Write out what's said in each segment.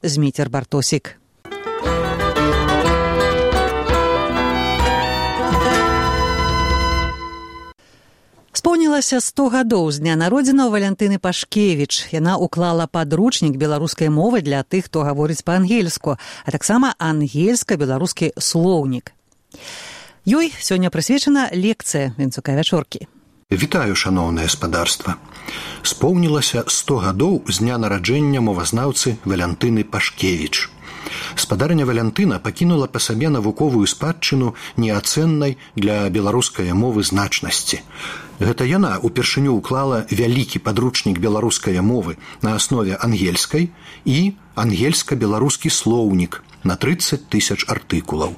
Зміцер Бартосік. Споўнілася 100 гадоў з дня народзінаў Валянтыны Пашкевіч. Яна уклала падручнік беларускай мовы для тых, хто гаворыць па-ангельску, а таксама ангельска-беларускі слоўнік. Ёй сёння прысвечана лекцыя Вінцука вячоркі. Вітаю, шаноўнае спадарства. Споўнілася 100 гадоў з дня нараджэння мовазнаўцы Валянтыны Пашкевіч. Спадарня Валянтына пакінула па сабе навуковую спадчыну неацэннай для беларускай мовы значнасці. Гэта яна упершыню уклала вялікі падручнік беларускай мовы на аснове ангельскай і ангельска-беларускі слоўнік на 30 000 артыкулаў.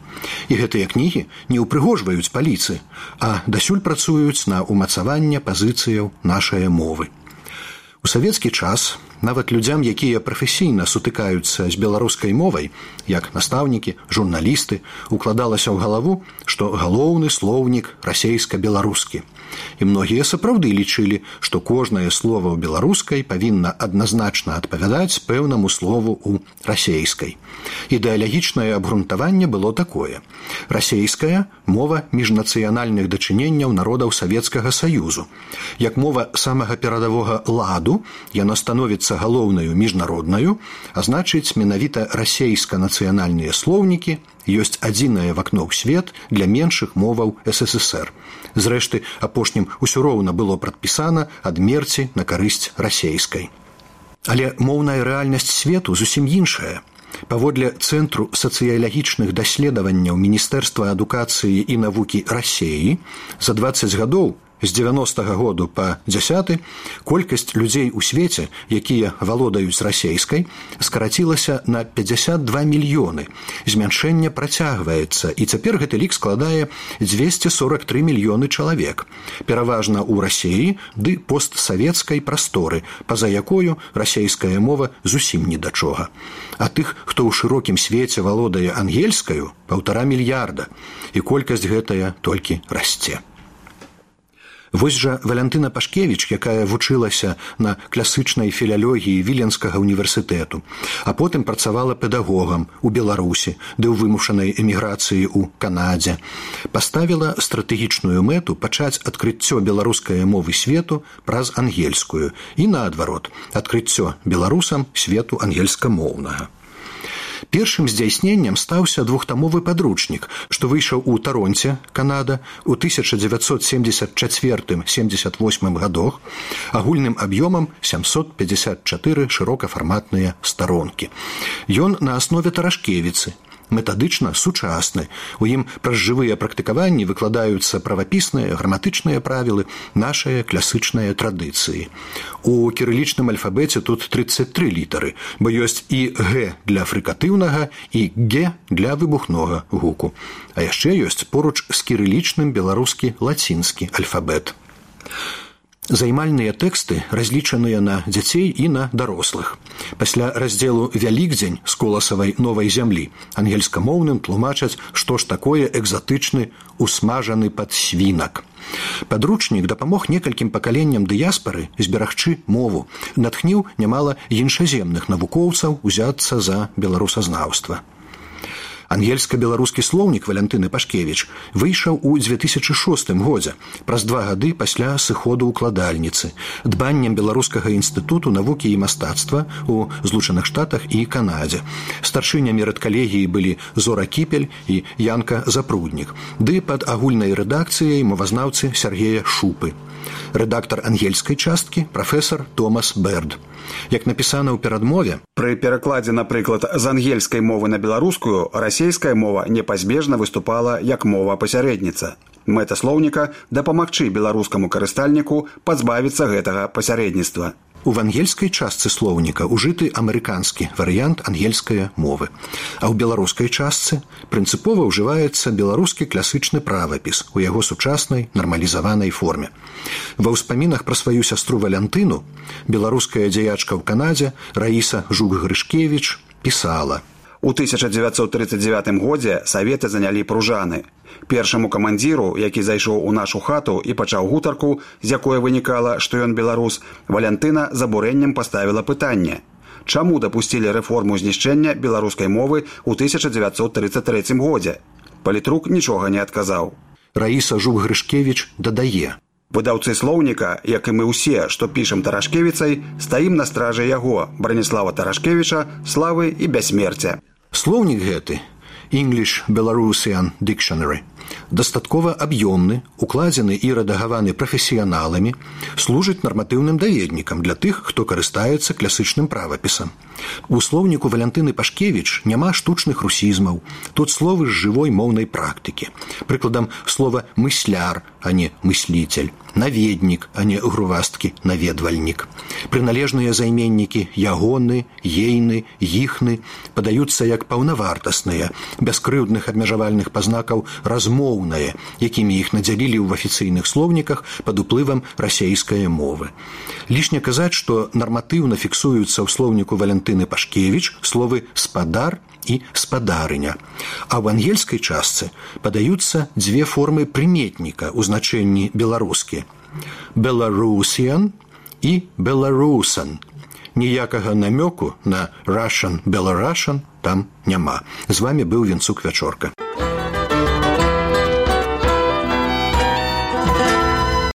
І гэтыя кнігі не ўпрыгожваюць паліцы, а дасюль працуюць на ўмацаванне пазіцыяў нашай мовы. У савецкі час нават людзям, якія прафесійна сутыкаюцца з беларускай мовай, як настаўнікі, журналісты, укладалася ў галаву, што галоўны слоўнік расейска-беларускі. І многія сапраўды лічылі, што кожнае слова ў беларускай павінна адназначна адпавядаць пэўнаму слову ў расейскай. Ідэалагічнае абгрунтаванне было такое. Расейская – мова міжнацыянальных дачыненняў народаў Савецкага Саюзу. Як мова самага перадавога ладу, яна становіцца галоўнаю міжнароднаю, а значыць, менавіта расейска-нацыянальныя слоўнікі ёсць адзінае вакно ў свет для меншых моваў СССР. Зрэшты, апошнім усё роўна было прадпісана адмерці на карысць расейскай. Але моўная рэальнасць свету зусім іншая. Паводле Цэнтру сацыялагічных даследаванняў Міністэрства адукацыі і навукі Расеі за 20 гадоў з 90-го году па 10 колькасць людзей у свеце, якія валодаюць расейскай, скарацілася на 52 мільёны. Змяншэнне працягваецца, і цяпер гэты лік складае 243 мільёны чалавек. Пераважна ў Расеі ды постсавецкай прасторы, па-за якою расейская мова зусім ні да чога. А тых, хто ў шырокім свеце валодае ангельскаю, 1,5 мільярда, і колькасць гэтая толькі расце. Вось жа Валянтына Пашкевіч, якая вучылася на класычнай філялогіі Віленскага універсітэту, а потым працавала педагогам у Беларусі, ды ў вымушанай эміграцыі ў Канадзе, паставіла стратэгічную мэту пачаць адкрыццё беларускай мовы свету праз ангельскую і, наадварот, адкрыццё беларусам свету ангельскамоўнага. Першым здзяйсненнем стаўся двухтамовы падручнік, што выйшаў у Таронце, Канада, у 1974-78 гадах, агульным аб'ёмам 754 шырокафарматныя старонкі. Ён на аснове Тарашкевіцы, метадычна сучасны. У ім праз жывыя практыкаванні выкладаюцца правапісныя, граматычныя правілы нашай класычнай традыцыі. У кірылічным альфабеце тут 33 літары, бо ёсць і Г для фрыкатыўнага, і Г для выбухнога гуку. А яшчэ ёсць поруч з кірылічным беларускі лацінскі альфабет. Займальныя тэксты разлічаныя на дзяцей і на дарослых. Пасля раздзелу «Вялікдзень» з коласавай новай зямлі ангельскамоўным тлумачаць, што ж такое экзатычны усмажаны падсвінак. Падручнік дапамог некалькім пакаленням дыяспары зберагчы мову, натхніў нямала іншаземных навукоўцаў узяцца за беларусазнаўства. Ангельска-беларускі слоўнік Валянтыны Пашкевіч выйшаў у 2006 годзе, праз 2 гады пасля сыходу укладальніцы, дбаннем Беларускага інстытуту навукі і мастацтва ў Злучаных Штатах і Канадзе. Старшынямі рэдкалегіі былі Зора Кіпель і Янка Запруднік, ды пад агульнай рэдакцыяй мовазнаўцы Сергея Шупы. Рэдактар ангельскай часткі прафесар Томас Берд. Як напісана ў перадмове, пры перакладзе, напрыклад, з ангельскай мовы на беларускую, расейская мова непазбежна выступала як мова-пасярэдніца. Мэта слоўніка – дапамагчы беларускаму карыстальніку пазбавіцца гэтага пасярэдніцтва. У ангельскай частцы слоўніка ужыты амерыканскі варыянт ангельскай мовы, а ў беларускай частцы прынцыпова ўжываецца беларускі класычны правапіс у яго сучаснай нармалізаванай форме. Ва ўспамінах пра сваю сястру Валянтыну беларуская дзеячка ў Канадзе Раіса Жук-Грышкевіч пісала: У 1939 годзе саветы занялі Пружаны. Першаму камандзіру, які зайшоў у нашу хату і пачаў гутарку, з якой вынікала, што ён беларус, Валянтына з абурэннем паставіла пытанне: чаму дапусцілі рэформу знішчэння беларускай мовы ў 1933 годзе. Палітрук нічога не адказаў. Раіса Жук-Грышкевіч дадае: выдаўцы слоўніка, як і мы ўсе, што пішам Тарашкевіцай, стаім на стражы яго, Браніслава Тарашкевіча, славы і бяссмерця. Слоўнік гэты, English Belarusian Dictionary, дастаткова аб'ёмны, укладзены і рэдагаваны прафесіяналамі, служыць нарматыўным даведнікам для тых, хто карыстаецца класычным правапісам. У слоўніку Валянтыны Пашкевіч няма штучных русізмаў, тут словы з жывой моўнай практыкі. Прыкладам, слова «мысляр», а не «мыслитель», «наведнік», а не грувасткі «наведвальнік». Прыналежныя займеннікі «ягоны», «ейны», «іхны» падаюцца як паўнавартасныя, без крыўдных абмежавальных пазнакаў размоўныя, якімі іх надзялілі ў афіцыйных слоўніках пад уплывам расейскай мовы. Лішне казаць, што нарматыўна фіксуюцца ў слоўніку Валянтыны Пашкевіч словы «спадар» і «спадарыня». А ў ангельскай частцы падаюцца дзве формы прыметніка ў значэнні беларускі – «Belarusian» і «Belarusan». Ніякага намёку на «Russian», «Belarusian» там няма. З вамі быў Вінцук Вячорка.